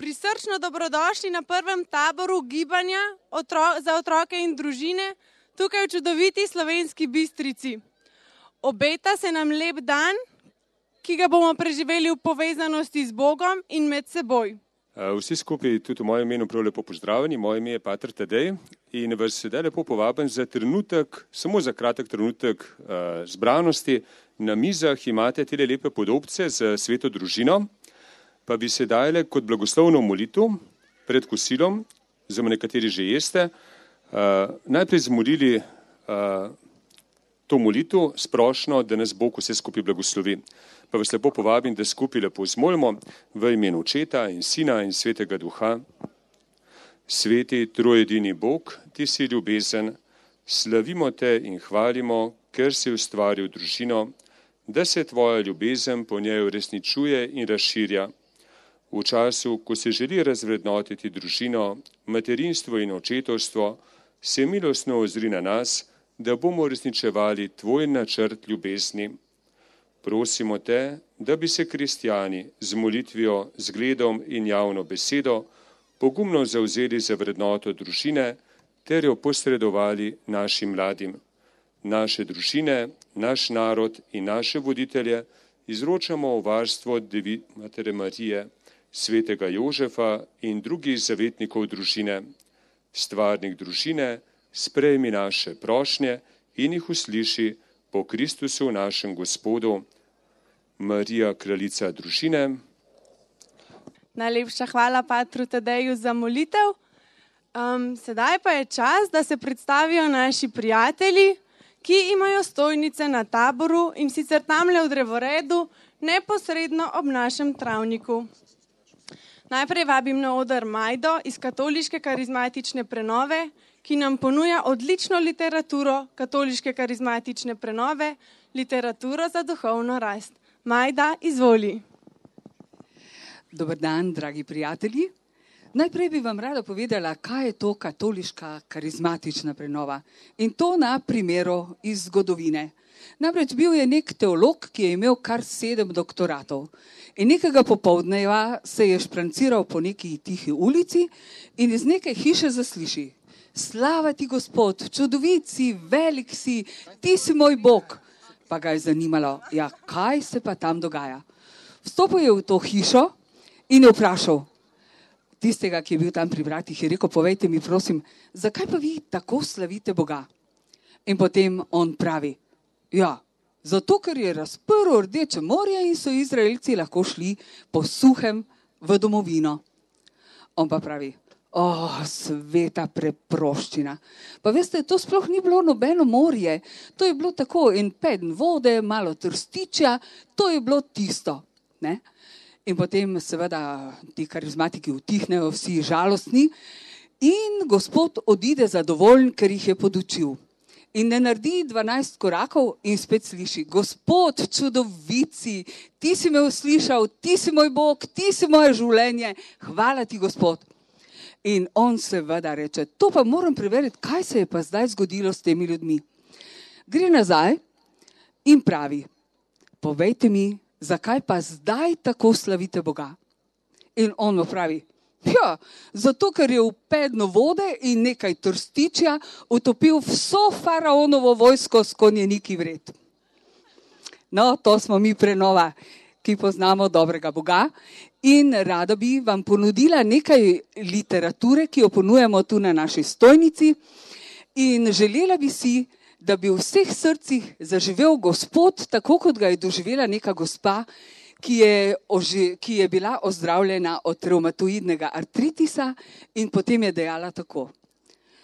Prisrčno dobrodošli na prvem taboru gibanja za otroke in družine tukaj v čudoviti Slovenski Bistrici. Obeta se nam lep dan, ki ga bomo preživeli v povezanosti z Bogom in med seboj. Vsi skupaj tudi v mojem imenu prav lepo pozdravljeni. Moje ime je pater Tadej in vas sedaj lepo povabim za trenutek, samo za kratek trenutek zbranosti. Na mizah imate te lepe podobce z sveto družino, pa bi se dajale kot blagoslovno molitev pred kosilom, oziroma nekateri že jeste, najprej zmolili to molitev sprošno, da nas Bog vse skupaj blagoslovi. Pa vas lepo povabim, da skupaj lepo zmolimo v imenu Očeta in Sina in Svetega Duha. Sveti trojedini Bog, ti si ljubezen, slavimo te in hvalimo, ker si ustvaril družino, da se tvoja ljubezen po njej uresničuje in razširja. V času, ko se želi razvrednotiti družino, materinstvo in očetovstvo, se milostno ozri na nas, da bomo uresničevali tvoj načrt ljubezni. Prosimo te, da bi se kristjani z molitvijo, zgledom in javno besedo pogumno zavzeli za vrednoto družine ter jo posredovali našim mladim. Naše družine, naš narod in naše voditelje izročamo v varstvo Devi Matere Marije, svetega Jožefa in drugih zavetnikov družine. Stvarnik družine, sprejmi naše prošnje in jih usliši po Kristusu našem Gospodu. Marija, kraljica družine. Najlepša hvala patru Tadeju za molitev. Sedaj pa je čas, da se predstavijo naši prijatelji, ki imajo stojnice na taboru in sicer tamle v drevoredu, neposredno ob našem travniku. Najprej vabim na oder Majdo iz Katoliške karizmatične prenove, ki nam ponuja odlično literaturo Katoliške karizmatične prenove, literaturo za duhovno rast. Majda, izvoli. Dober dan, dragi prijatelji. Najprej bi vam rada povedala, kaj je to Katoliška karizmatična prenova. In to na primeru iz zgodovine. Namreč bil je nek teolog, ki je imel kar 7 doktoratov. In nekega popoldneva se je špranciral po neki tihi ulici in iz neke hiše zasliši: slava ti, Gospod, čudovit si, velik si, ti si moj Bog. Pa ga je zanimalo, ja, kaj se pa tam dogaja. Vstopil je v to hišo in je vprašal tistega, ki je bil tam pri vratih, je rekel: povejte mi, prosim, zakaj pa vi tako slavite Boga? In potem on pravi: ja, zato ker je razprl Rdeče morje in so Izraelci lahko šli po suhem v domovino. On pa pravi: sveta preproščina. Pa veste, to sploh ni bilo nobeno morje, to je bilo tako en peden vode, malo trstičja, to je bilo tisto. Ne? In potem seveda ti karizmatiki utihnejo, vsi žalostni in Gospod odide zadovoljen, ker jih je podučil. In ne naredi 12 korakov in spet sliši: Gospod, čudovit si, ti si me uslišal, ti si moj Bog, ti si moje življenje, hvala ti, Gospod. In on seveda reče: to pa moram preveriti, kaj se je pa zdaj zgodilo s temi ljudmi. Gre nazaj in pravi: povejte mi, zakaj pa zdaj tako slavite Boga? In on mu pravi: ja, zato ker je v pedno vode in nekaj trstičja utopil vso faraonovo vojsko s konjeniki vred. No, to smo mi prenova, ki poznamo dobrega Boga. In rada bi vam ponudila nekaj literature, ki jo ponujamo tu na naši stojnici. In želela bi si, da bi v vseh srcih zaživel Gospod, tako kot ga je doživela neka gospa, ki je bila ozdravljena od revmatoidnega artritisa in potem je dejala tako: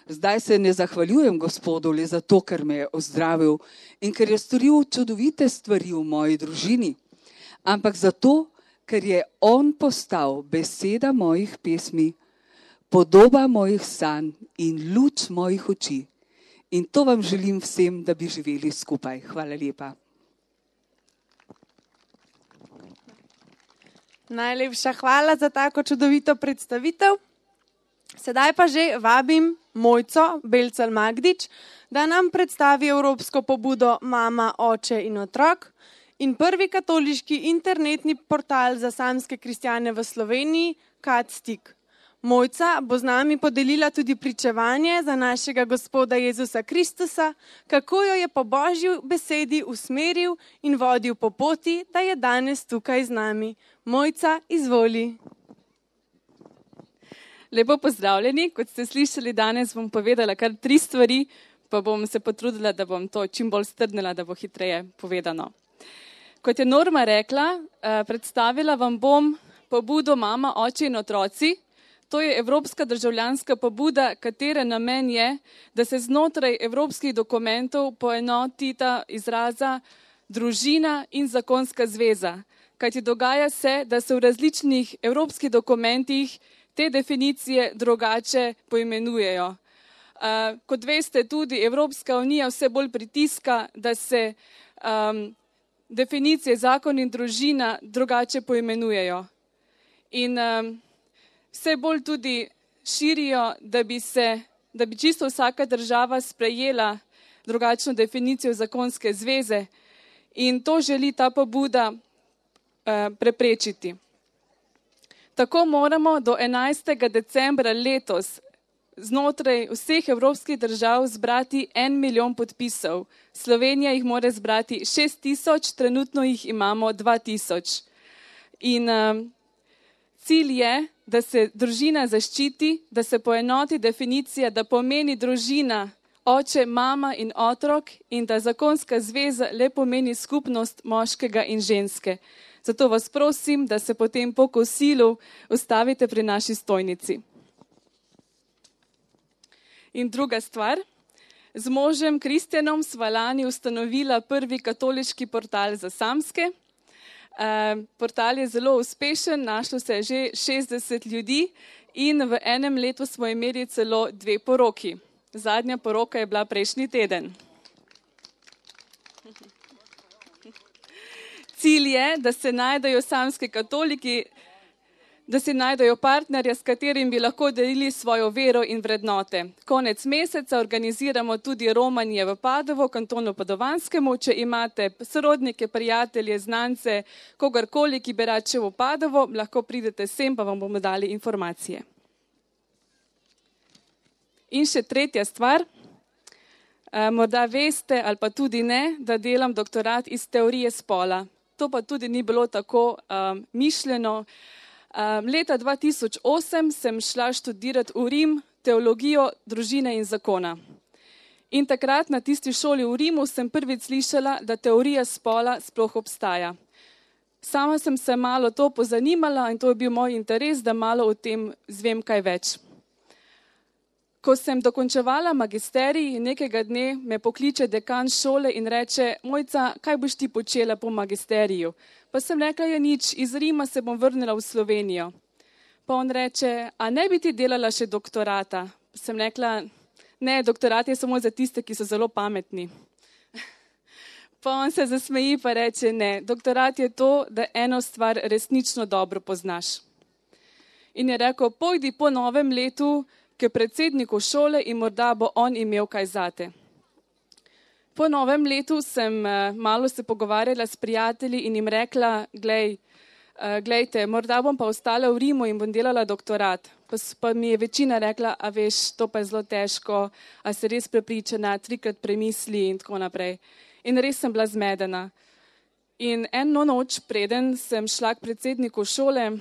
zdaj se ne zahvaljujem Gospodu le zato, ker me je ozdravil in ker je storil čudovite stvari v moji družini, ampak zato, ker je on postal beseda mojih pesmi, podoba mojih sanj in luč mojih oči. In to vam želim vsem, da bi živeli skupaj. Hvala lepa. Najlepša hvala za tako čudovito predstavitev. Sedaj pa že vabim Mojco Belcal Magdič, da nam predstavi evropsko pobudo Mama, oče in otrok in prvi katoliški internetni portal za samske kristjane v Sloveniji, KAT stik. Mojca bo z nami podelila tudi pričevanje za našega Gospoda Jezusa Kristusa, kako jo je po Božji besedi usmeril in vodil po poti, da je danes tukaj z nami. Mojca, izvoli. Lepo pozdravljeni. Kot ste slišali, danes bom povedala kar 3 stvari, pa bom se potrudila, da bom to čim bolj strnila, da bo hitreje povedano. Kot je Norma rekla, predstavila vam bom pobudo Mama, oče in otroci. To je evropska državljanska pobuda, katere namen je, da se znotraj evropskih dokumentov poenoti ta izraza družina in zakonska zveza. Kajti dogaja se, da se v različnih evropskih dokumentih te definicije drugače poimenujejo. Kot veste, tudi Evropska unija vse bolj pritiska, da se definicije zakon in družina drugače poimenujejo. In vse bolj tudi širijo, da bi čisto vsaka država sprejela drugačno definicijo zakonske zveze, in to želi ta pobuda preprečiti. Tako moramo do 11. decembra letos znotraj vseh evropskih držav zbrati 1 milijon podpisov. Slovenija jih mora zbrati 6.000, trenutno jih imamo 2.000. In cilj je, da se družina zaščiti, da se poenoti definicija, da pomeni družina oče, mama in otrok in da zakonska zveza le pomeni skupnost moškega in ženske. Zato vas prosim, da se potem po kosilu ustavite pri naši stojnici. In druga stvar, z možem Kristjanom sva lani ustanovila prvi katoliški portal za samske. Portal je zelo uspešen, našlo se je že 60 ljudi in v enem letu smo imeli celo 2 poroki. Zadnja poroka je bila prejšnji teden. Cilj je, da se najdejo samski katoliki, da si najdejo partnerja, s katerim bi lahko delili svojo vero in vrednote. Konec meseca organiziramo tudi romanje v Padovo, kantonu Padovanskemu. Če imate sorodnike, prijatelje, znance, kogarkoli, ki bi rad šel v Padovo, lahko pridete sem, pa vam bomo dali informacije. In še tretja stvar. Morda veste ali pa tudi ne, da delam doktorat iz teorije spola. To pa tudi ni bilo tako mišljeno. Leta 2008 sem šla študirati v Rim teologijo družine in zakona. In takrat na tisti šoli v Rimu sem prvič slišala, da teorija spola sploh obstaja. Sama sem se malo to pozanimala in to je bil moj interes, da malo o tem zvem kaj več. Ko sem dokončevala magisterij, nekega dne me pokliče dekan šole in reče: Mojca, kaj boš ti počela po magisteriju? Pa sem rekla: ja nič, iz Rima se bom vrnila v Slovenijo. Pa on reče: a ne bi ti delala še doktorata? Pa sem rekla: ne, doktorat je samo za tiste, ki so zelo pametni. Pa on se zasmeji pa reče: ne, doktorat je to, da eno stvar resnično dobro poznaš. In je rekel: pojdi po novem letu k predsedniku šole in morda bo on imel kaj zate. Po novem letu sem malo se pogovarjala s prijatelji in jim rekla: glejte, morda bom pa ostala v Rimu in bom delala doktorat. Pa mi je večina rekla: a veš, to pa je zelo težko, a si res prepričana, 3-krat premisli in tako naprej. In res sem bila zmedena. In eno noč, preden sem šla k predsedniku šole,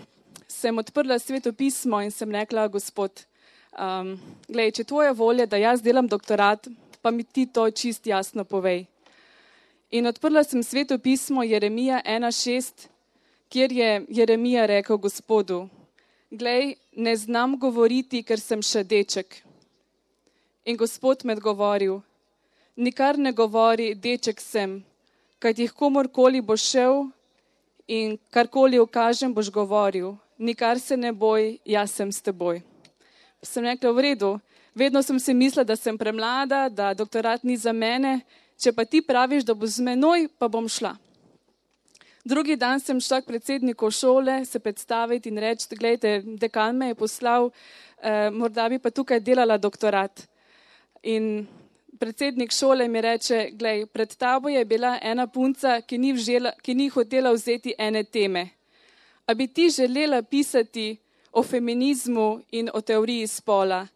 sem odprla Sveto pismo in sem rekla: Gospod, če tvoja volja, da jaz delam doktorat, pa mi ti to čist jasno povej. In odprla sem Sveto pismo Jeremija 1.6, kjer je Jeremija rekel Gospodu: glej, ne znam govoriti, ker sem še deček. In Gospod me odgovoril: nikar ne govori, deček sem, kajti komorkoli boš šel in karkoli ukažem, boš govoril. Nikar se ne boj, jaz sem s teboj. Sem rekla: v redu, vedno sem si mislila, da sem premlada, da doktorat ni za mene, če pa ti praviš, da bo z menoj, pa bom šla. Drugi dan sem šla k predsedniku šole se predstaviti in reči: glejte, dekan me je poslal, morda bi pa tukaj delala doktorat. In predsednik šole mi reče: glej, pred tabo je bila ena punca, ki ni hotela vzeti ene teme. A bi ti želela pisati o feminizmu in o teoriji spola.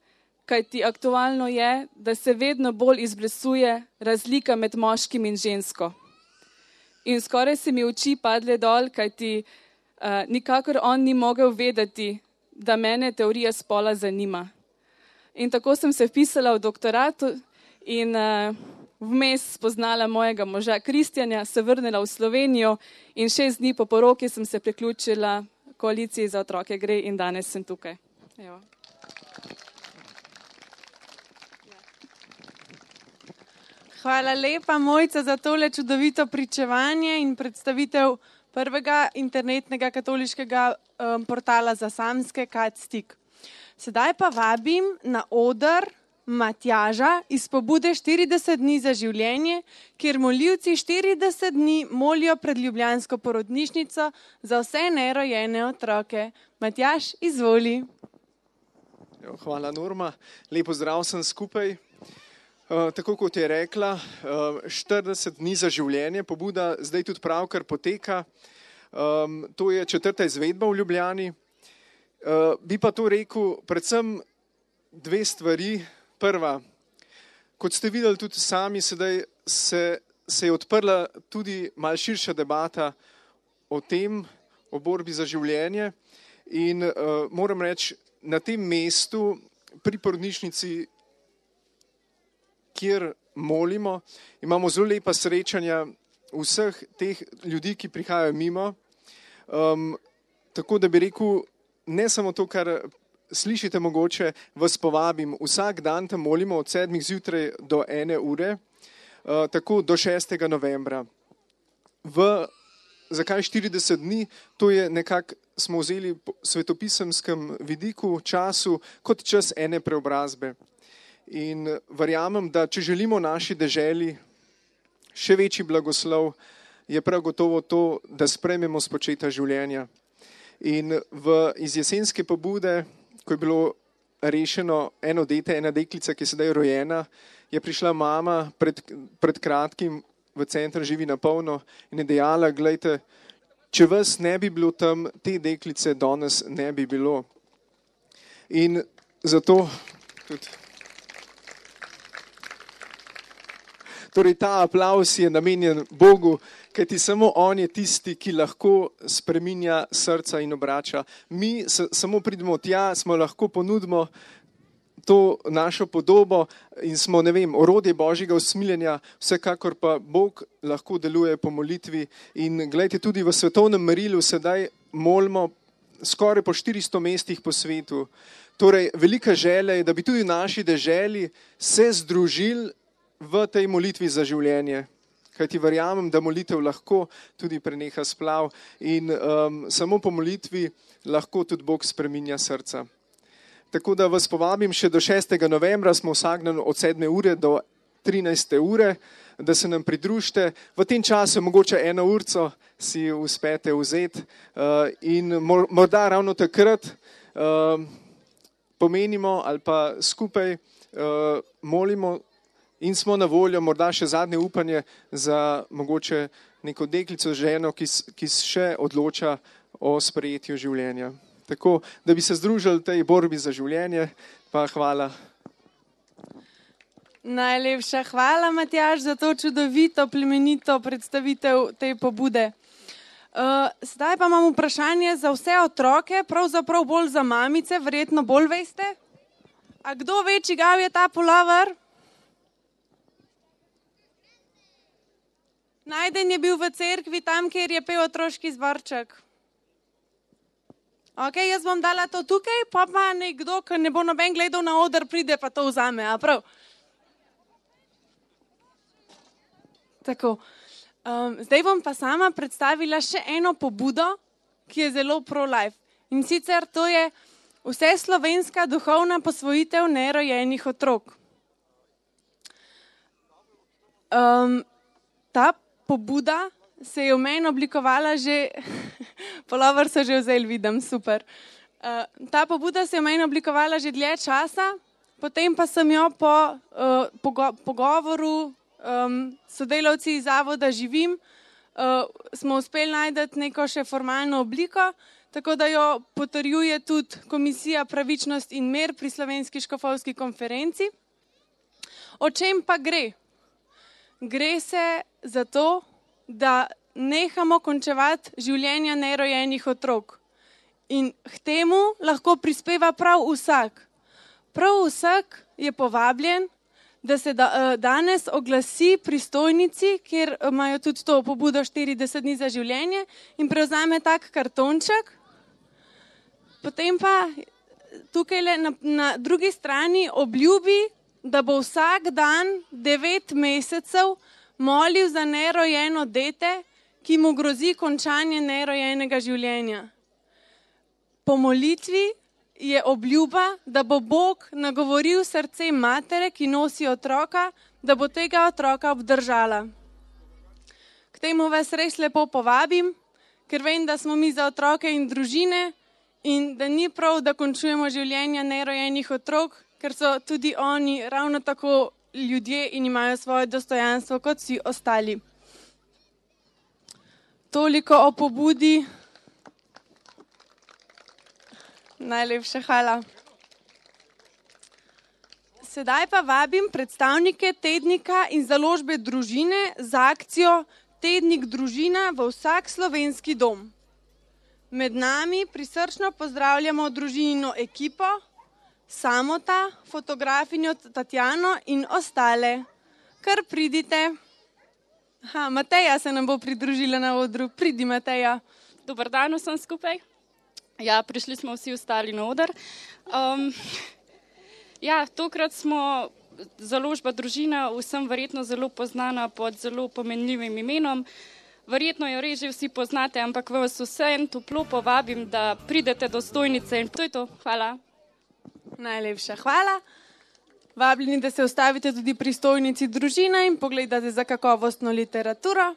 Kajti aktualno je, da se vedno bolj izbrisuje razlika med moškim in žensko. In skoraj se mi oči padle dol, kajti nikakor on ni mogel vedeti, da mene teorija spola zanima. In tako sem se vpisala v doktorat in vmes spoznala mojega moža Kristjana, se vrnila v Slovenijo in 6 dni po poroki sem se priključila koaliciji Za otroke gre in danes sem tukaj. Evo. Hvala lepa, Mojca, za tole čudovito pričevanje in predstavitev prvega internetnega katoliškega portala za samske Katstik. Sedaj pa vabim na oder Matjaža iz pobude 40 dni za življenje, kjer molivci 40 dni molijo pred ljubljansko porodnišnico za vse nerojene otroke. Matjaž, izvoli. Hvala, Norma. Lepo zdrav sem skupaj. Tako kot je rekla, 40 dni za življenje, pobuda zdaj tudi pravkar poteka. To je 4. izvedba v Ljubljani. Bi pa to rekel predvsem 2 stvari. Prva, kot ste videli tudi sami, sedaj se je odprla tudi malo širša debata o tem, o borbi za življenje. In moram reči, na tem mestu pri porodnišnici, kjer molimo, imamo zelo lepa srečanja vseh teh ljudi, ki prihajajo mimo. Tako da bi rekel, ne samo to, kar slišite mogoče, vas povabim. Vsak dan tam molimo od 7 zjutraj do 1 ure, tako do 6. novembra. Zakaj 40 dni? To je nekako, smo vzeli v svetopisemskem vidiku, času, kot čas ene preobrazbe. In verjamem, da če želimo naši deželi še večji blagoslov, je prav gotovo to, da sprejmemo spočeta življenja. In iz jesenske pobude, ko je bilo rešeno eno dete, ena deklica, ki je sedaj rojena, je prišla mama pred kratkim v center Živi na polno in je dejala, glejte, če vas ne bi bilo tam, te deklice danes ne bi bilo. In zato tudi torej ta aplavz je namenjen Bogu, kajti samo on je tisti, ki lahko spreminja srca in obrača. Mi samo pridemo tja, smo lahko ponudimo to našo podobo in smo, ne vem, orodje Božjega usmiljenja, vsekakor pa Bog lahko deluje po molitvi. In gledajte, tudi v svetovnem merilu sedaj molimo skoraj po 400 mestih po svetu. Torej, velika želja je, da bi tudi v naši deželi se združili v tej molitvi za življenje. Kajti verjamem, da molitev lahko tudi preneha splav in samo po molitvi lahko tudi Bog spreminja srca. Tako da vas povabim še do 6. novembra, smo vsak dan od 7. ure do 13. ure, da se nam pridružite. V tem času mogoče 1 urco si uspete vzeti in morda ravno takrat pomenimo ali pa skupaj molimo in smo na voljo morda še zadnje upanje za mogoče neko deklico, ženo, ki še odloča o sprejetju življenja. Tako, da bi se združili v tej borbi za življenje, pa hvala. Najlepša hvala, Matjaž, za to čudovito, plemenito predstavitev te pobude. Sedaj pa imam vprašanje za vse otroke, pravzaprav bolj za mamice, verjetno bolj veste. A kdo ve, čigav je ta pulover? Najden je bil v cerkvi, tam, kjer je pel otroški zborček. Ok, jaz bom dala to tukaj, pa nekdo, ki ne bo noben gledal na oder, pride pa to vzame, a prav? Tako. Zdaj bom pa sama predstavila še eno pobudo, ki je zelo pro-life. In sicer to je vseslovenska duhovna posvojitev nerojenih otrok. Ta pobuda se je v meni oblikovala že, pulover so že vzeli, vidim, super. Ta pobuda se je v meni oblikovala že dlje časa, potem pa sem jo po pogovoru sodelavci iz zavoda Živim, smo uspeli najti neko še formalno obliko, tako da jo potrjuje tudi Komisija Pravičnost in mir pri Slovenski škofovski konferenci. O čem pa gre? Gre se za to, da nehamo končevati življenja nerojenih otrok. In k temu lahko prispeva prav vsak. Prav vsak je povabljen, da se danes oglasi pristojnici, kjer imajo tudi to pobudo 40 dni za življenje in prevzame tak kartonček. Potem pa tukaj na drugi strani obljubi, da bo vsak dan 9 mesecev molil za nerojeno dete, ki mu grozi končanje nerojenega življenja. Po molitvi je obljuba, da bo Bog nagovoril srce matere, ki nosi otroka, da bo tega otroka obdržala. K temu vas res lepo povabim, ker vem, da smo mi za otroke in družine in da ni prav, da končujemo življenja nerojenih otrok, ker so tudi oni ravno tako ljudje in imajo svoje dostojanstvo kot vsi ostali. Toliko o pobudi. Najlepša hvala. Sedaj pa vabim predstavnike tednika in založbe Družine za akcijo Tednik družina v vsak slovenski dom. Med nami prisrčno pozdravljamo družinino ekipo, Samota, fotografinjo Tatjano in ostale. Kar pridite. Mateja se nam bo pridružila na odru. Pridi, Mateja. Dobar dan vsem skupaj. Ja, prišli smo vsi ostali na oder. Tokrat smo založba Družina, vsem verjetno zelo poznana pod zelo pomenljivim imenom. Verjetno jo res že vsi poznate, ampak vas vsem toplo povabim, da pridete do stojnice in to je to. Hvala. Najlepša hvala. Vabljeni, da se ustavite tudi pri stojnici Družina in pogledate za kakovostno literaturo.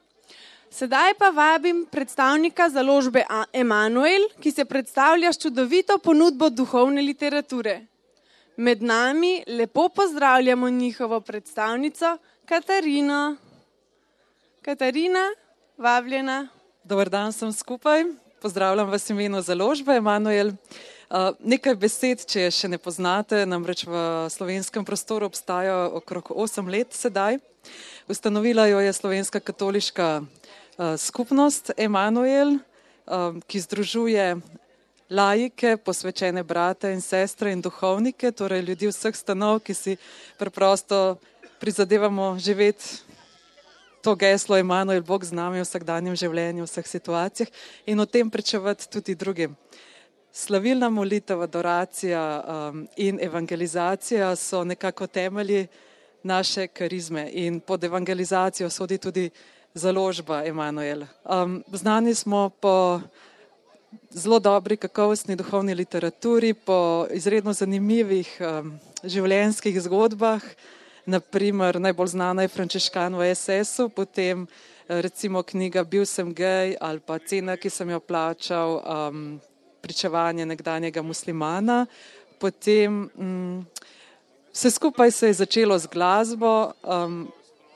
Sedaj pa vabim predstavnika založbe Emanuel, ki se predstavlja s čudovito ponudbo duhovne literature. Med nami lepo pozdravljamo njihovo predstavnico Katarino. Katarina, vabljena. Dobar dan sem skupaj. Pozdravljam vas v imenu založbe Emanuel. Nekaj besed, če še ne poznate, namreč v slovenskem prostoru obstaja okrog 8 let sedaj. Ustanovila jo je Slovenska katoliška skupnost Emanuel, ki združuje laike, posvečene brate in sestre in duhovnike, torej ljudi vseh stanov, ki si preprosto prizadevamo živeti to geslo Emanuel, Bog z nami v vsakdanjem življenju, v vseh situacijah in o tem pričevati tudi drugim. Slavilna molitev, adoracija in evangelizacija so nekako temelji naše karizme in pod evangelizacijo sodi tudi založba Emanuel. Znani smo po zelo dobri kakovostni duhovni literaturi, po izredno zanimivih življenjskih zgodbah, naprimer najbolj znana je Frančiškan v SS-u, potem recimo knjiga Bil sem gej ali pa Cena, ki sem jo plačal, pričevanje nekdanjega muslimana. Potem vse skupaj se je začelo z glasbo.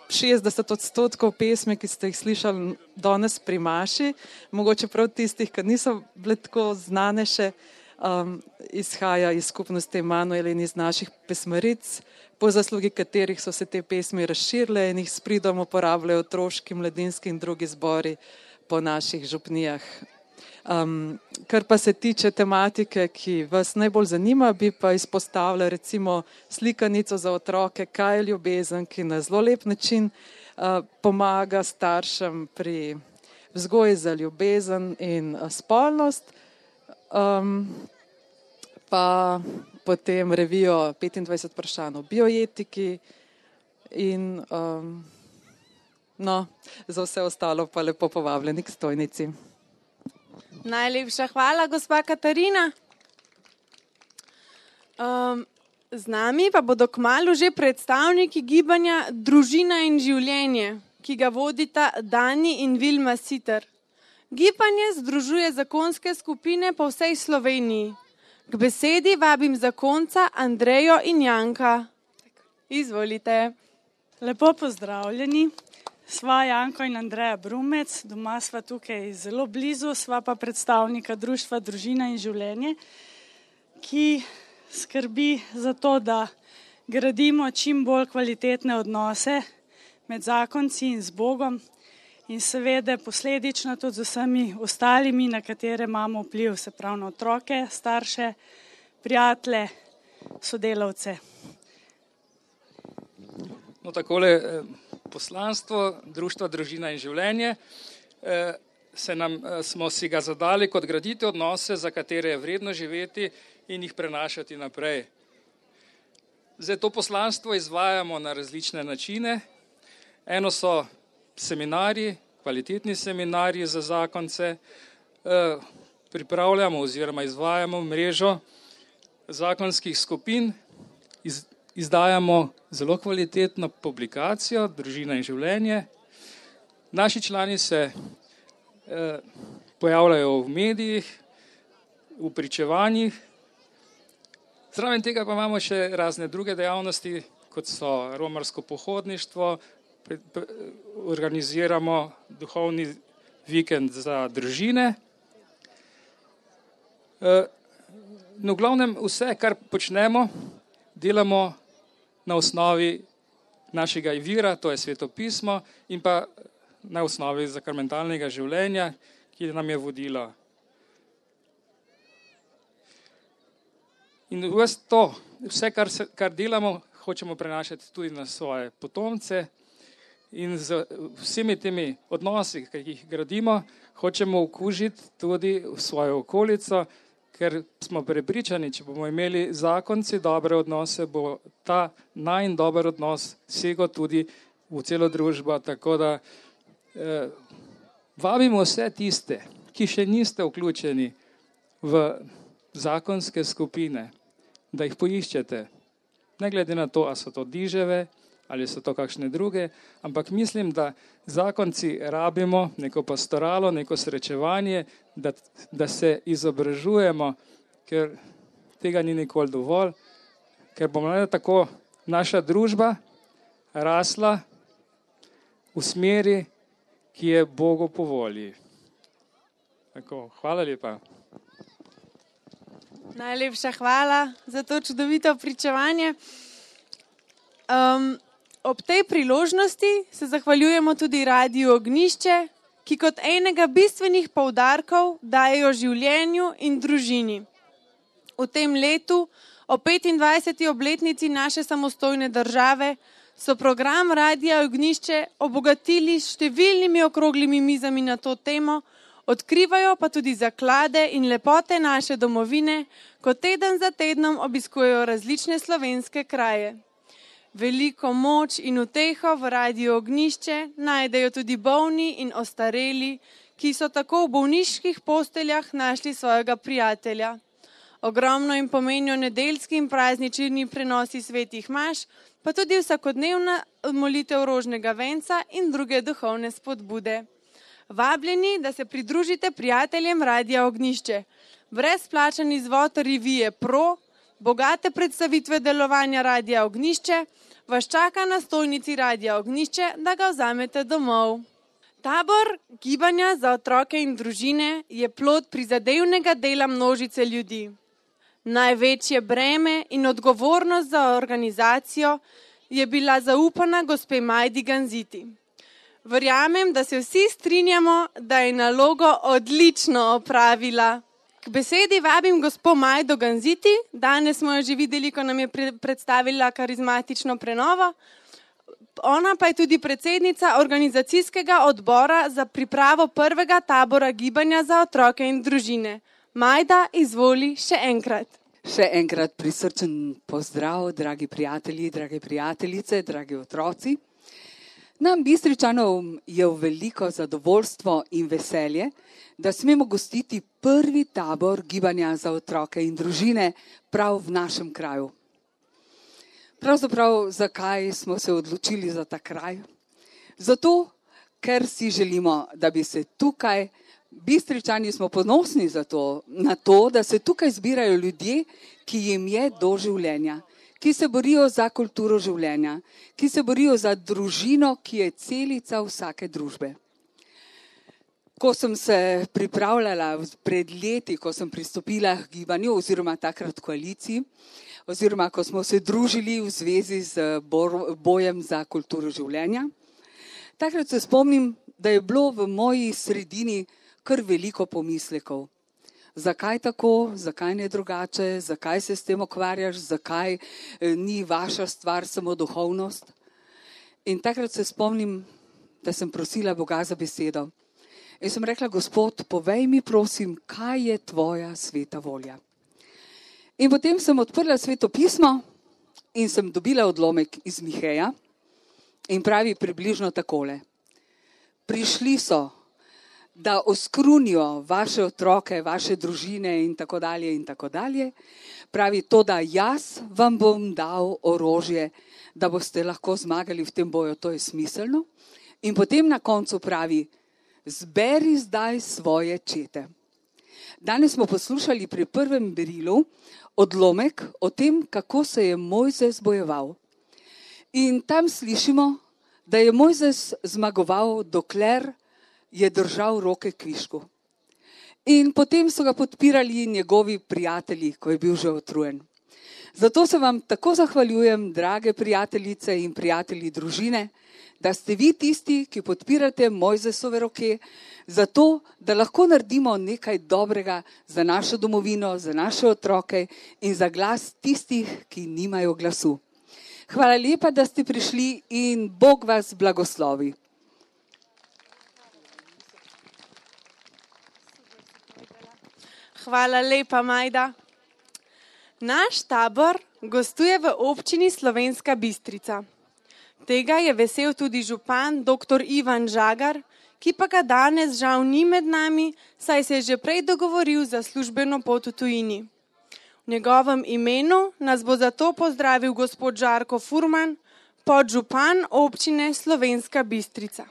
60% pesmi, ki ste jih slišali danes pri Maši, mogoče prav tistih, ki niso bile tako znane še, izhaja iz skupnosti Emanuel in iz naših pesmaric, po zaslugi katerih so se te pesmi razširile in jih s pridom uporabljajo otroški, mladinski in drugi zbori po naših župnijah. Kar pa se tiče tematike, ki vas najbolj zanima, bi pa izpostavila recimo slikanico za otroke Kaj je ljubezen, ki na zelo lep način pomaga staršem pri vzgoji za ljubezen in spolnost, pa potem revijo 25 vprašanj o bioetiki in za vse ostalo pa lepo povabljeni k stojnici. Najlepša hvala, gospa Katarina. Z nami pa bodo kmalu že predstavniki gibanja Družina in življenje, ki ga vodita Dani in Vilma Siter. Gibanje združuje zakonske skupine po vsej Sloveniji. K besedi vabim zakonca Andrejo in Janka. Izvolite. Lepo pozdravljeni. Sva Janko in Andreja Brumec, doma sva tukaj zelo blizu, sva pa predstavnika Društva Družina in življenje, ki skrbi za to, da gradimo čim bolj kvalitetne odnose med zakonci in z Bogom in seveda posledično tudi z vsemi ostalimi, na katere imamo vpliv, se pravi na otroke, starše, prijatelje, sodelavce. No, takole poslanstvo Društva Družina in življenje smo si ga zadali kot graditi odnose, za katere je vredno živeti in jih prenašati naprej. Zdaj, to poslanstvo izvajamo na različne načine. Eno so seminarji, kvalitetni seminarji za zakonce, pripravljamo oziroma izvajamo mrežo zakonskih skupin, izdajamo zelo kvalitetno publikacijo Družina in življenje. Naši člani se pojavljajo v medijih, v pričevanjih. Zraven tega pa imamo še razne druge dejavnosti, kot so romarsko pohodništvo, organiziramo duhovni vikend za družine. No, v glavnem vse, kar počnemo, delamo na osnovi našega vira, to je Sveto pismo, in pa na osnovi sakramentalnega življenja, ki nam je vodilo. In vse, kar delamo, hočemo prenašati tudi na svoje potomce in z vsemi temi odnosi, ki jih gradimo, hočemo okužiti tudi v svojo okolico, ker smo prepričani, če bomo imeli zakonci dobre odnose, bo ta najin dober odnos segel tudi v celo družbo. Tako da vabimo vse tiste, ki še niste vključeni v zakonske skupine, da jih poiščete. Ne glede na to, ali so to diževe, ali so to kakšne druge, ampak mislim, da zakonci rabimo neko pastoralo, neko srečevanje, da se izobražujemo, ker tega ni nikoli dovolj, ker bomo tako naša družba rasla v smeri, ki je Bogu po volji. Tako, hvala lepa. Najlepša hvala za to čudovito pričevanje. Ob tej priložnosti se zahvaljujemo tudi Radiu Ognjišče, ki kot enega bistvenih poudarkov dajejo življenju in družini. V tem letu, o 25. obletnici naše samostojne države, so program Radia Ognjišče obogatili s številnimi okroglimi mizami na to temo, odkrivajo pa tudi zaklade in lepote naše domovine, ko teden za tednom obiskujejo različne slovenske kraje. Veliko moč in uteho v Radiu Ognjišče najdejo tudi bolni in ostareli, ki so tako v bolniških posteljah našli svojega prijatelja. Ogromno jim pomenijo nedeljski in praznični prenosi svetih maš, pa tudi vsakodnevna molitev rožnega venca in druge duhovne spodbude. Vabljeni, da se pridružite prijateljem Radia Ognjišče. Brezplačen izvod revije Pro, bogate predstavitve delovanja Radia Ognjišče, vas čaka na stojnici Radia Ognjišče, da ga vzamete domov. Tabor gibanja za otroke in družine je plod prizadevnega dela množice ljudi. Največje breme in odgovornost za organizacijo je bila zaupana gospe Majdi Ganziti. Verjamem, da se vsi strinjamo, da je nalogo odlično opravila. K besedi vabim gospo Majdo Ganziti, danes smo jo že videli, ko nam je predstavila karizmatično prenovo. Ona pa je tudi predsednica organizacijskega odbora za pripravo prvega tabora gibanja za otroke in družine. Majda, izvoli še enkrat. Še enkrat prisrčen pozdrav, dragi prijatelji, drage prijateljice, dragi otroci. Nam Bistričanom je v veliko zadovoljstvo in veselje, da smemo gostiti prvi tabor gibanja za otroke in družine prav v našem kraju. Pravzaprav, zakaj smo se odločili za ta kraj? Zato, ker si želimo, da bi se tukaj, Bistričani smo ponosni na to, da se tukaj zbirajo ljudje, ki jim je do življenja, ki se borijo za kulturo življenja, ki se borijo za družino, ki je celica vsake družbe. Ko sem se pripravljala pred leti, ko sem pristopila k gibanju oziroma takrat koaliciji, oziroma ko smo se družili v zvezi z bojem za kulturo življenja, takrat se spomnim, da je bilo v moji sredini kar veliko pomislekov. Zakaj tako, zakaj ne drugače, zakaj se s tem ukvarjaš, zakaj ni vaša stvar samo duhovnost. In takrat se spomnim, da sem prosila Boga za besedo. In sem rekla, Gospod, povej mi prosim, kaj je tvoja sveta volja. In potem sem odprla Sveto pismo in sem dobila odlomek iz Miheja in pravi približno takole. Prišli so, da oskrunijo vaše otroke, vaše družine in tako dalje in tako dalje. Pravi to, da jaz vam bom dal orožje, da boste lahko zmagali v tem boju, to je smiselno. In potem na koncu pravi, zberi zdaj svoje čete. Danes smo poslušali pri prvem berilu odlomek o tem, kako se je Mojzes bojeval. In tam slišimo, da je Mojzes zmagoval, dokler je držal roke kvišku. In potem so ga podpirali njegovi prijatelji, ko je bil že utrujen. Zato se vam tako zahvaljujem, drage prijateljice in prijatelji družine, da ste vi tisti, ki podpirate Mojzesove roke, zato, da lahko naredimo nekaj dobrega za našo domovino, za naše otroke in za glas tistih, ki nimajo glasu. Hvala lepa, da ste prišli in Bog vas blagoslovi. Hvala lepa, Majda. Naš tabor gostuje v občini Slovenska Bistrica. Tega je vesel tudi župan dr. Ivan Žagar, ki pa ga danes žal ni med nami, saj se je že prej dogovoril za službeno pot v tujini. V njegovem imenu nas bo zato pozdravil gospod Žarko Furman, podžupan občine Slovenska Bistrica.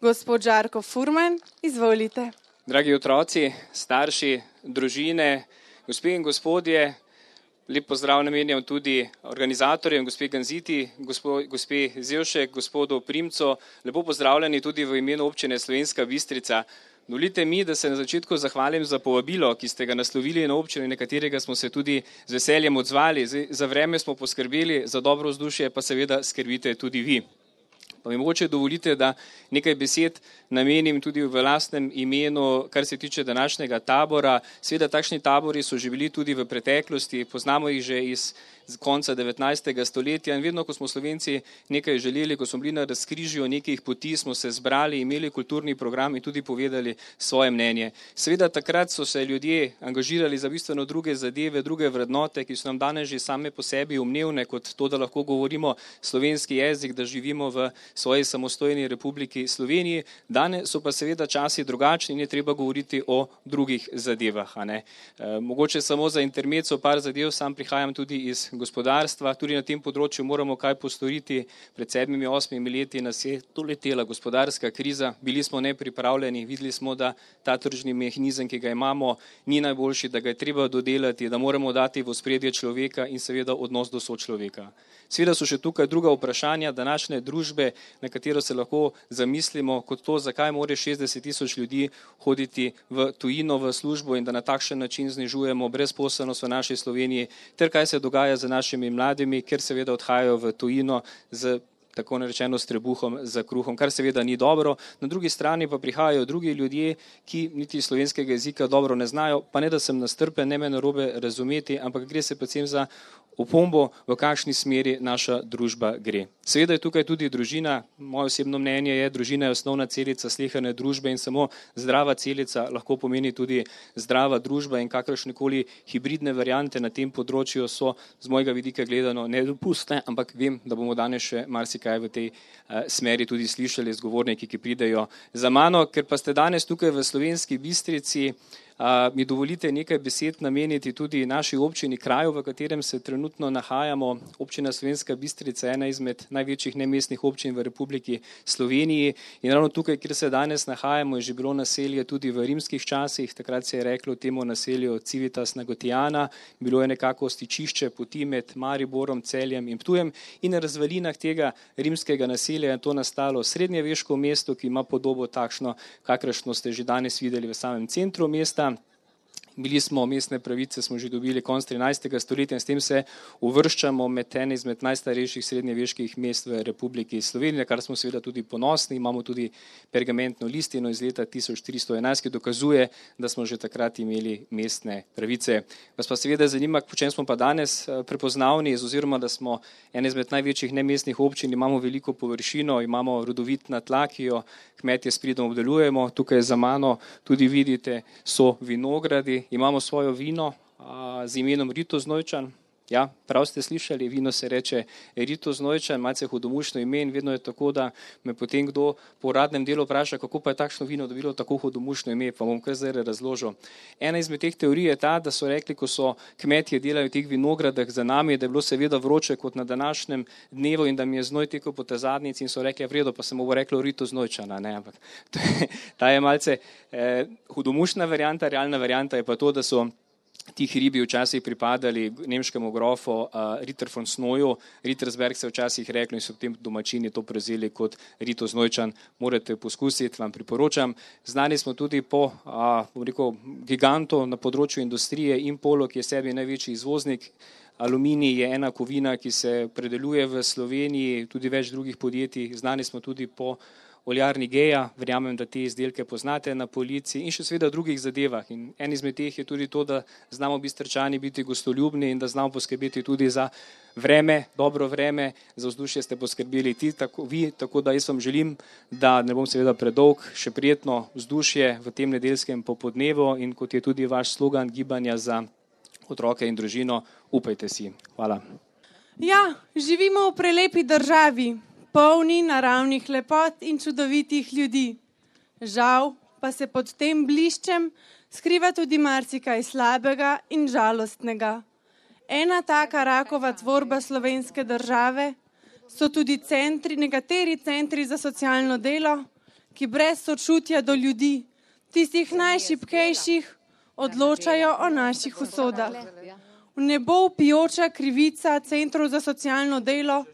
Gospod Žarko Furman, izvolite. Dragi otroci, starši, družine, gospe in gospodje, lep pozdrav namenjam tudi organizatorjem, gospe Ganziti, gospe Zevšek, gospodu Primco, lepo pozdravljeni tudi v imenu občine Slovenska Bistrica. Dovolite mi, da se na začetku zahvalim za povabilo, ki ste ga naslovili na občino in na katerega smo se tudi z veseljem odzvali. Za vreme smo poskrbeli, za dobro vzdušje pa seveda skrbite tudi vi. Pa mi mogoče dovolite, da nekaj besed namenim tudi v lastnem imenu, kar se tiče današnjega tabora. Seveda takšni tabori so že bili tudi v preteklosti, poznamo jih že iz konca 19. stoletja in vedno, ko smo Slovenci nekaj želeli, ko smo bili na razkrižju nekih poti, smo se zbrali, imeli kulturni program in tudi povedali svoje mnenje. Seveda takrat so se ljudje angažirali za bistveno druge zadeve, druge vrednote, ki so nam danes že same po sebi umnevne, kot to, da lahko govorimo slovenski jezik, da živimo v svoji samostojni Republiki Sloveniji. Danes so pa seveda časi drugačni in je treba govoriti o drugih zadevah. Mogoče samo za intermezzo par zadev, sam prihajam tudi iz gospodarstva, tudi na tem področju moramo kaj postoriti. Pred 7-8 leti nas je doletela gospodarska kriza, bili smo nepripravljeni, videli smo, da ta tržni mehanizem, ki ga imamo, ni najboljši, da ga je treba dodelati, da moramo dati v ospredje človeka in seveda odnos do sočloveka. Seveda so še tukaj druga vprašanja današnje družbe, na katero se lahko zamislimo, kot to, zakaj more 60.000 ljudi hoditi v tujino v službo in da na takšen način znižujemo brezposelnost v naši Sloveniji, ter kaj se dogaja z našimi mladimi, ker seveda odhajajo v tujino z tako narečeno s trebuhom za kruhom, kar seveda ni dobro. Na drugi strani pa prihajajo drugi ljudje, ki niti slovenskega jezika dobro ne znajo, pa ne da sem nastrpen, ne me narobe razumeti, ampak gre se predvsem za opombo, v kakšni smeri naša družba gre. Seveda je tukaj tudi družina, moje osebno mnenje je, družina je osnovna celica sleherne družbe in samo zdrava celica lahko pomeni tudi zdrava družba in kakršnekoli hibridne variante na tem področju so z mojega vidika gledano nedopustne, ampak vem, da bomo danes še marsikaj v tej smeri tudi slišali z govorniki, ki pridejo za mano. Ker pa ste danes tukaj v Slovenski Bistrici, mi dovolite nekaj besed nameniti tudi naši občini, kraju, v katerem se trenutno nahajamo. Občina Slovenska Bistrica je ena izmed največjih nemestnih občin v Republiki Sloveniji in ravno tukaj, kjer se danes nahajamo, je že bilo naselje tudi v rimskih časih. Takrat se je reklo temu naselju Civitas Nagotiana, bilo je nekako stičišče poti med Mariborom, Celjem in Ptujem in na razvalinah tega rimskega naselja je to nastalo srednjeveško mesto, ki ima podobo takšno, kakršno ste že danes videli v samem centru mesta. Bili smo mestne pravice, smo že dobili konec 13. stoletja in s tem se uvrščamo med ene izmed najstarejših srednjeveških mest v Republiki Sloveniji, kar smo seveda tudi ponosni. Imamo tudi pergamentno listino iz leta 1411, ki dokazuje, da smo že takrat imeli mestne pravice. Vas pa seveda zanima, po čem smo pa danes prepoznavni, oziroma da smo ena izmed največjih nemestnih občin, imamo veliko površino, imamo rodovitna tla, ki jo kmetje s pridom obdelujemo. Tukaj za mano tudi vidite so vinogradi. Imamo svojo vino z imenom Rito Znojčan. Ja, prav ste slišali, vino se reče Rito Znojčan, malce hudomušno ime in vedno je tako, da me potem kdo po uradnem delu vpraša, kako pa je takšno vino dobilo tako hudomušno ime, pa bom kar zdaj razložil. Ena izmed teh teorij je ta, da so rekli, ko so kmetje delali v teh vinogradah za nami, da je bilo seveda vroče kot na današnjem dnevu in da mi je znoj tekel po tej zadnjici in so rekli, v redu, pa se mu bo reklo Rito Znojčana, ne, ampak ta je malce hudomušna varianta, realna varianta je pa to, da so ti hribi včasih pripadali nemškemu grofu Ritter von Snoju. Rittersberg se včasih rekli in so potem domačini to prevzeli kot Rito Znojčan. Morate poskusiti, vam priporočam. Znani smo tudi po gigantu na področju industrije Impolo, ki je sebi največji izvoznik. Aluminij je ena kovina, ki se predeluje v Sloveniji, tudi več drugih podjetij. Znani smo tudi po oljarni Geja, verjamem, da te izdelke poznate na polici in še seveda drugih zadevah. In en izmed teh je tudi to, da znamo Bistričani biti gostoljubni in da znamo poskrbeti tudi za vreme, dobro vreme, za vzdušje ste poskrbeli vi, tako da jaz vam želim, da ne bom seveda predolg, še prijetno vzdušje v tem nedeljskem popodnevu in kot je tudi vaš slogan Gibanja za otroke in družino, upajte si. Hvala. Ja, živimo v prelepi državi, polni naravnih lepot in čudovitih ljudi. Žal pa se pod tem bliščem skriva tudi marsikaj slabega in žalostnega. Ena taka rakova tvorba slovenske države so tudi nekateri centri za socialno delo, ki brez sočutja do ljudi, tistih najšibkejših, odločajo o naših usodah. V nebo vpijoča krivica centrov za socialno delo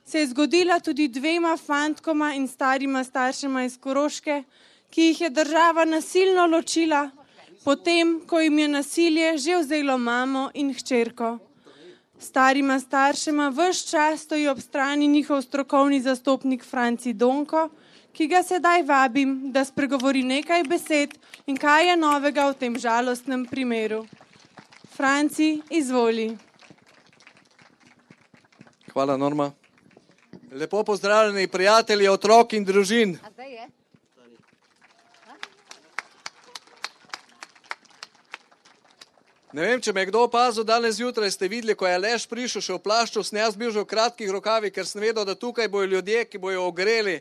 se je zgodila tudi 2 fantkoma in starima staršema iz Koroške, ki jih je država nasilno ločila, potem, ko jim je nasilje že vzelo mamo in hčerko. Starima staršema ves čas stoji ob strani njihov strokovni zastopnik Franci Donko, ki ga sedaj vabim, da spregovori nekaj besed in kaj je novega v tem žalostnem primeru. Franci, izvoli. Hvala, Norma. Lepo pozdravljeni prijatelji, otrok in družin. Ne vem, če me je kdo opazil, danes zjutraj ste videli, ko je Aleš prišel še v plašču, sem jaz bil že v kratkih rokavih, ker sem vedel, da tukaj bojo ljudje, ki bojo ogreli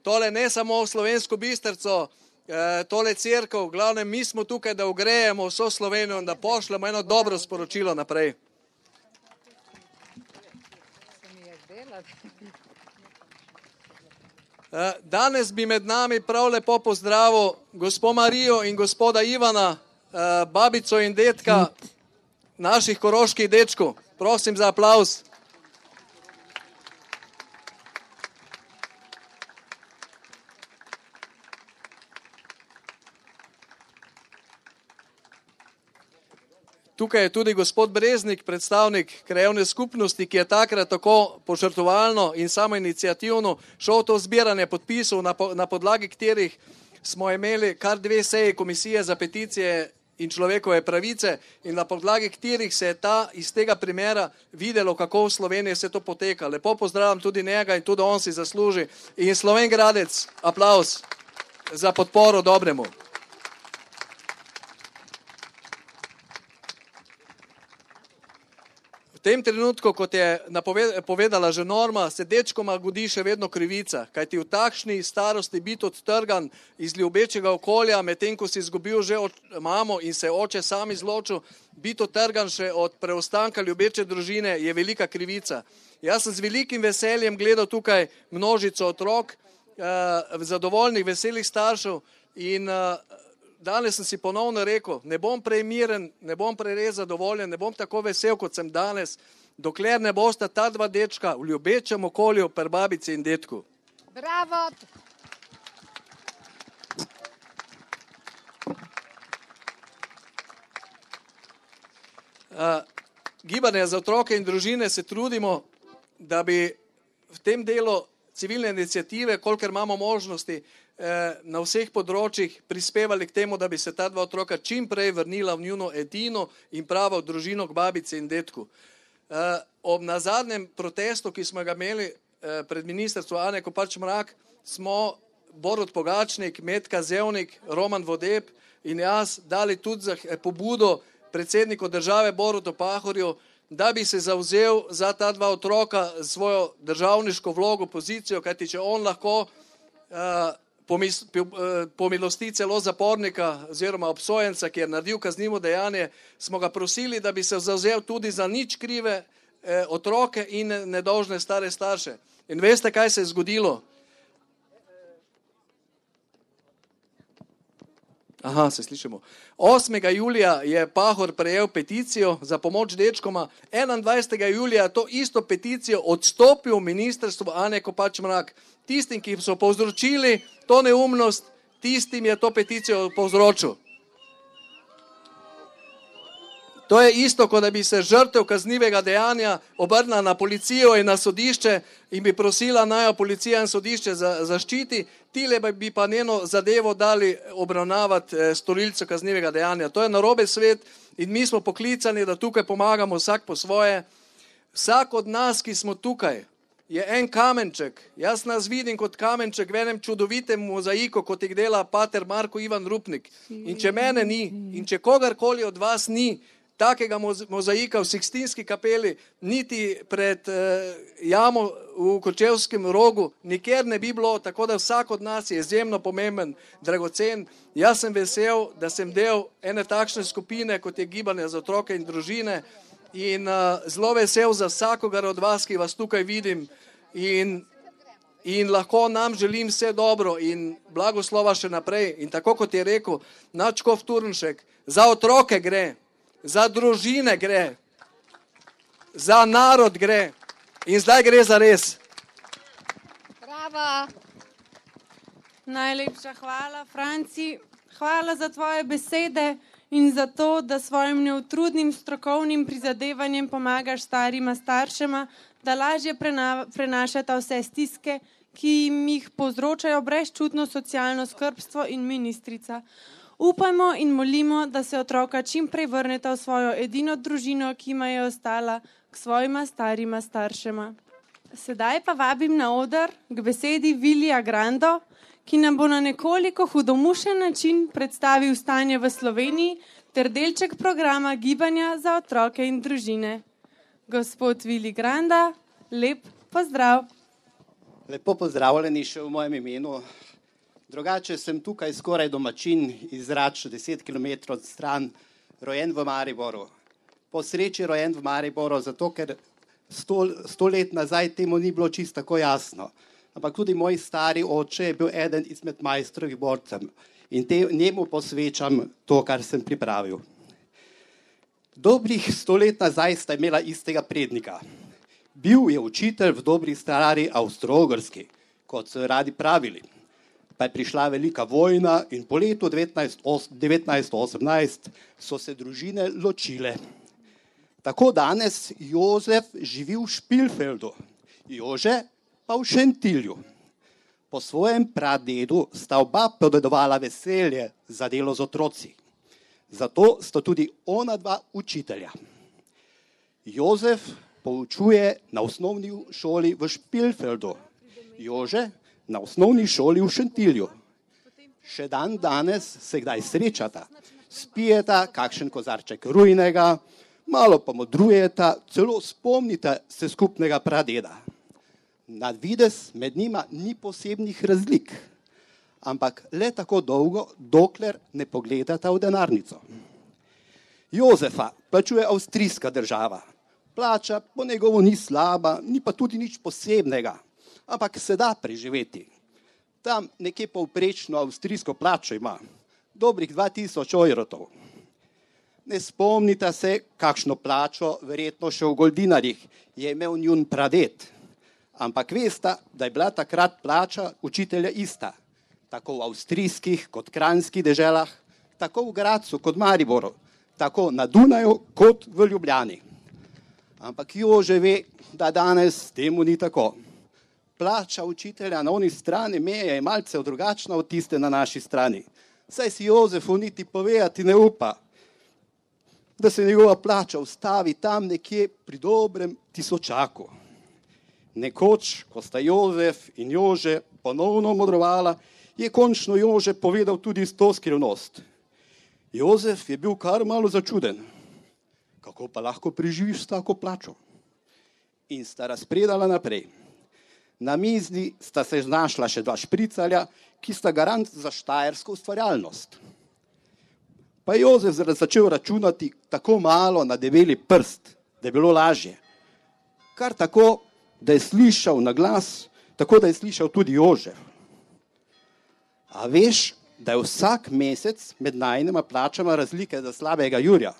tole ne samo Slovensko Bistrico, tole cerkev, v glavnem mi smo tukaj, da ogrejemo vso Slovenijo in da pošljemo eno dobro sporočilo naprej. Danes bi med nami prav lepo pozdravil gospo Marijo in gospoda Ivana, babico in detka naših koroških dečkov. Prosim za aplavz. Tukaj je tudi gospod Breznik, predstavnik krajevne skupnosti, ki je takrat tako požrtvovalno in samoiniciativno šel to zbiranje podpisov, na podlagi katerih smo imeli kar 2 seji komisije za peticije in človekove pravice in na podlagi katerih se je iz tega primera videlo, kako v Sloveniji se to poteka. Lepo pozdravljam tudi njega in tudi on si zasluži. In Sloven Gradec, aplavz za podporo dobremu. V tem trenutku, kot je povedala že Norma, se dečkoma godi še vedno krivica, kajti v takšni starosti biti odtrgan iz ljubečega okolja, medtem ko si izgubil že mamo in se oče sam izločil, biti odtrgan še od preostanka ljubeče družine je velika krivica. Jaz sem z velikim veseljem gledal tukaj množico otrok, zadovoljnih, veselih staršev in danes sem si ponovno rekel, ne bom prej miren, ne bom prej res zadovoljen, ne bom tako vesel, kot sem danes, dokler ne bosta ta dva dečka v ljubečem okolju pri babici in detku. Bravo! Gibanje za otroke in družine se trudimo, da bi v tem delu civilne iniciative, kolikor imamo možnosti, na vseh področjih prispevali k temu, da bi se ta dva otroka čim prej vrnila v njuno edino in pravo družino k babici in detku. Na zadnjem protestu, ki smo ga imeli pred ministrstvom Ane Kopač Mrak, smo Borut Pogačnik, Metka Zevnik, Roman Vodeb in jaz dali tudi za pobudo predsedniku države Borutu Pahorju, da bi se zavzel za ta dva otroka svojo državniško vlogo, pozicijo, kajti če on lahko pomilosti celo zapornika oziroma obsojenca, ki je naredil kaznivo dejanje, smo ga prosili, da bi se zavzel tudi za nič krive otroke in nedolžne stare starše. In veste, kaj se je zgodilo? Aha, se slišimo. 8. julija je Pahor prejel peticijo za pomoč dečkoma, 21. julija to isto peticijo odstopil ministrstvo Ane Kopač Mrak. Tistim, ki so povzročili to neumnost, tistim je to peticijo povzročil. To je isto, kot da bi se žrtev kaznivega dejanja obrnila na policijo in na sodišče in bi prosila naj jo policija in sodišče zaščiti, tile bi pa njeno zadevo dali obravnavati storilcu kaznivega dejanja. To je narobe svet in mi smo poklicani, da tukaj pomagamo vsak po svoje. Vsak od nas, ki smo tukaj, je en kamenček. Jaz nas vidim kot kamenček v enem čudovitem mozaiku, kot jih dela pater Marko Ivan Rupnik. In če mene ni, in če kogarkoli od vas ni, takega mozaika v Sikstinski kapeli, niti pred jamo v Kočevskem rogu, nikjer ne bi bilo, tako da vsak od nas je izjemno pomemben, dragocen. Jaz sem vesel, da sem del ene takšne skupine, kot je Gibanje za otroke in družine in zelo vesel za vsakogar od vas, ki vas tukaj vidim in lahko nam želim vse dobro in blagoslova še naprej. In tako kot je rekel nadškof Turnšek, za otroke gre, za družine gre, za narod gre in zdaj gre za res. Bravo! Najlepša hvala, Franci. Hvala za tvoje besede in za to, da svojim neutrudnim strokovnim prizadevanjem pomagaš starima staršema, da lažje prenašata vse stiske, ki jim jih povzročajo brezčutno socialno skrbstvo in ministrica. Upajmo in molimo, da se otroka čim prej vrneta v svojo edino družino, ki jima je ostala, k svojima starima staršema. Sedaj pa vabim na oder k besedi Vilija Grando, ki nam bo na nekoliko hudomušen način predstavil stanje v Sloveniji ter delček programa Gibanja za otroke in družine. Gospod Vili Granda, lep pozdrav. Lepo pozdravljeni še v mojem imenu. Drugače sem tukaj skoraj domačin iz Rač, 10 km od stran, rojen v Mariboru. Po sreči rojen v Mariboru, zato ker 100 let nazaj temu ni bilo čisto tako jasno. Ampak tudi moj stari oče je bil eden izmed majstrovih borcev in njemu posvečam to, kar sem pripravil. Dobrih 100 let nazaj sta imela istega prednika. Bil je učitelj v dobri stari Avstro-Ogrski, kot so radi pravili. Pa je prišla velika vojna in po letu 1918 so se družine ločile. Tako danes Jozef živi v Špilfeldu, Jože pa v Šentilju. Po svojem pradedu sta oba podedovala veselje za delo z otroci. Zato sta tudi ona dva učitelja. Jozef poučuje na osnovni šoli v Špilfeldu, Jože na osnovni šoli v Šentilju. Še dan danes se kdaj srečata, spijeta kakšen kozarček rujnega, malo pa modrujeta, celo spomnite se skupnega pradeda. Na videz med njima ni posebnih razlik, ampak le tako dolgo, dokler ne pogledata v denarnico. Jozefa plačuje avstrijska država. Plača po njegovo ni slaba, ni pa tudi nič posebnega, ampak se da preživeti. Tam nekje povprečno avstrijsko plačo ima, dobrih 2000 evrov. Ne spomnite se, kakšno plačo, verjetno še v goldinarjih, je imel njun praded. Ampak veste, da je bila takrat plača učitelja ista, tako v avstrijskih kot kranjskih deželah, tako v Gradcu kot Mariboru, tako na Dunaju kot v Ljubljani. Ampak Jože ve, da danes temu ni tako. Plača učitelja na oni strani meje je malce drugačna od tiste na naši strani. Saj si Jozefu niti povedati ne upa, da se njegova plača ustavi tam nekje pri dobrem tisočaku. Nekoč, ko sta Jozef in Jože ponovno modrovala, je končno Jože povedal tudi to skrivnost. Jozef je bil kar malo začuden. Kako pa lahko preživiš s tako plačo? In sta razpredala naprej. Na mizi sta se znašla še 2 špricarja, ki sta garant za štajersko ustvarjalnost. Pa je Jozef začel računati tako malo na debeli prst, da je bilo lažje. Kar tako, da je slišal na glas, tako da je slišal tudi Jožef. A veš, da je vsak mesec med najnima plačama razlike za slabega jurja?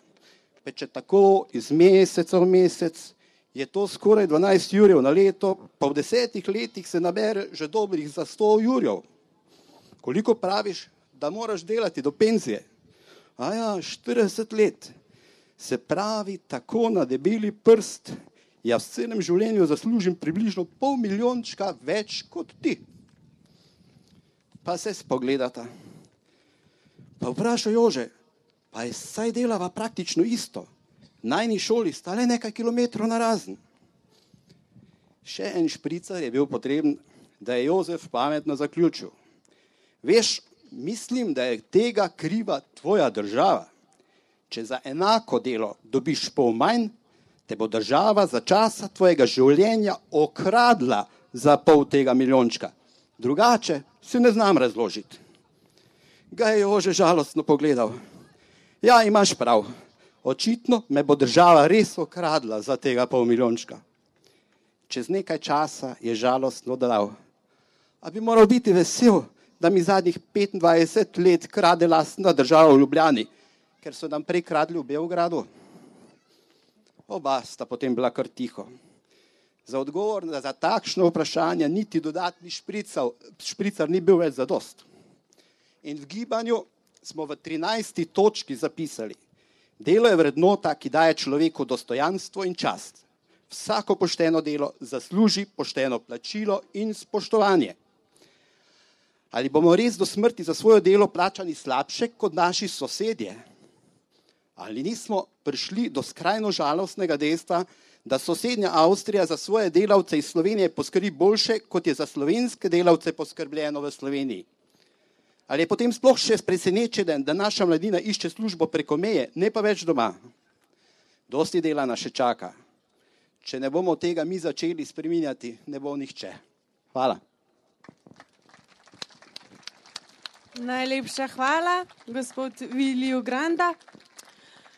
Če tako iz meseca v mesec, je to skoraj 12 jurjev na leto, pa v 10 letih se nabere že dobrih za 100 jurjev. Koliko praviš, da moraš delati do penzije? Aja, 40 let. Se pravi, tako na debeli prst, jaz v celem življenju zaslužim približno 500 milijončka več kot ti. Pa se spogledata. Pa vpraša Jože, pa je saj delava praktično isto. Najni šoli sta le nekaj kilometrov narazen. Še en špricar je bil potreben, da je Jozef pametno zaključil. Veš, mislim, da je tega kriva tvoja država. Če za enako delo dobiš pol manj, te bo država za časa tvojega življenja okradla za pol tega milijončka. Drugače si ne znam razložiti. Ga je Jože žalostno pogledal. Ja, imaš prav. Očitno me bo država res okradla za tega pol milijončka. Čez nekaj časa je žalostno dodal. A bi moral biti vesel, da mi zadnjih 25 let krade lastna država v Ljubljani, ker so nam prej kradli v Beogradu. Oba sta potem bila kar tiho. Za odgovor za takšno vprašanje niti dodatni špricar ni bil več zadost. In v gibanju smo v 13. točki zapisali. Delo je vrednota, ki daje človeku dostojanstvo in čast. Vsako pošteno delo zasluži pošteno plačilo in spoštovanje. Ali bomo res do smrti za svoje delo plačani slabše kot naši sosedje? Ali nismo prišli do skrajno žalostnega dejstva, da sosednja Avstrija za svoje delavce iz Slovenije poskrbi boljše, kot je za slovenske delavce poskrbljeno v Sloveniji? Ali je potem sploh še presenečen, da naša mladina išče službo preko meje, ne pa več doma? Dosti dela nas še čaka. Če ne bomo tega mi začeli spreminjati, ne bo nihče. Hvala. Najlepša hvala, gospod Viliju Granda.